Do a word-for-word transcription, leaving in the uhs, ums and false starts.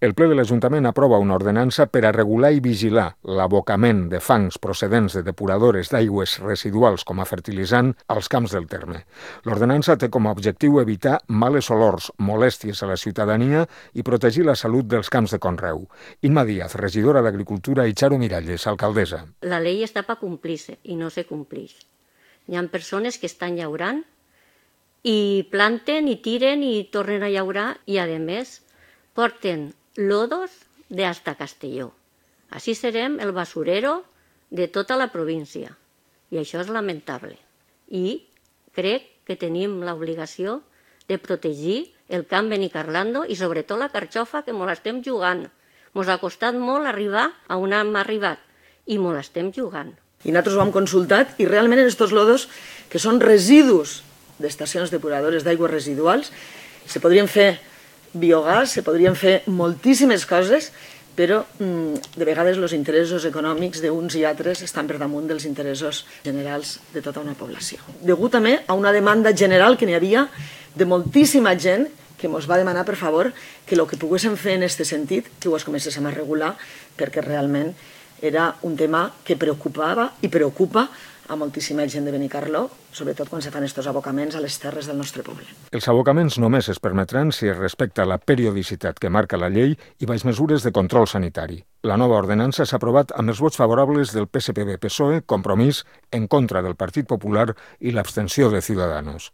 El ple de l'Ajuntament aprova una ordenança per a regular i vigilar l'abocament de fangs procedents de depuradores d'aigües residuals com a fertilitzant als camps del terme. L'ordenança té com a objectiu evitar males olors, molèsties a la ciutadania i protegir la salut dels camps de conreu. Imma Díaz, regidora d'Agricultura, i Charo Miralles, alcaldessa. La llei està per complir-se i no se complix. Hi ha persones que estan llaurant i planten i tiren i tornen a llaurar i, a més, porten lodos de hasta Castelló. Així serem el basurero de tota la província. I això és lamentable. I crec que tenim l'obligació de protegir el camp Benicarlando i sobretot la carxofa, que mos l'estem jugant. Mos ha costat molt arribar a on hem arribat i mos l'estem jugant. I nosaltres ho hem consultat i realment en aquests lodos, que són residus d'estacions depuradores d'aigües residuals, se podrien fer biogàs, se podrien fer moltíssimes coses, però mm, de vegades els interessos econòmics d'uns i altres estan per damunt dels interessos generals de tota una població. Degut també a una demanda general que n'hi havia de moltíssima gent que ens va demanar, per favor, que el que poguéssim fer en aquest sentit, que ho es comencéssim a regular, perquè realment era un tema que preocupava i preocupa a moltíssima gent de Benicarló, sobretot quan se fan aquests abocaments a les terres del nostre poble. Els abocaments només es permetran si es respecta la periodicitat que marca la llei i baix mesures de control sanitari. La nova ordenança s'ha aprovat amb els vots favorables del P S P B P S O E, Compromís, en contra del Partit Popular i l'abstenció de Ciudadanos.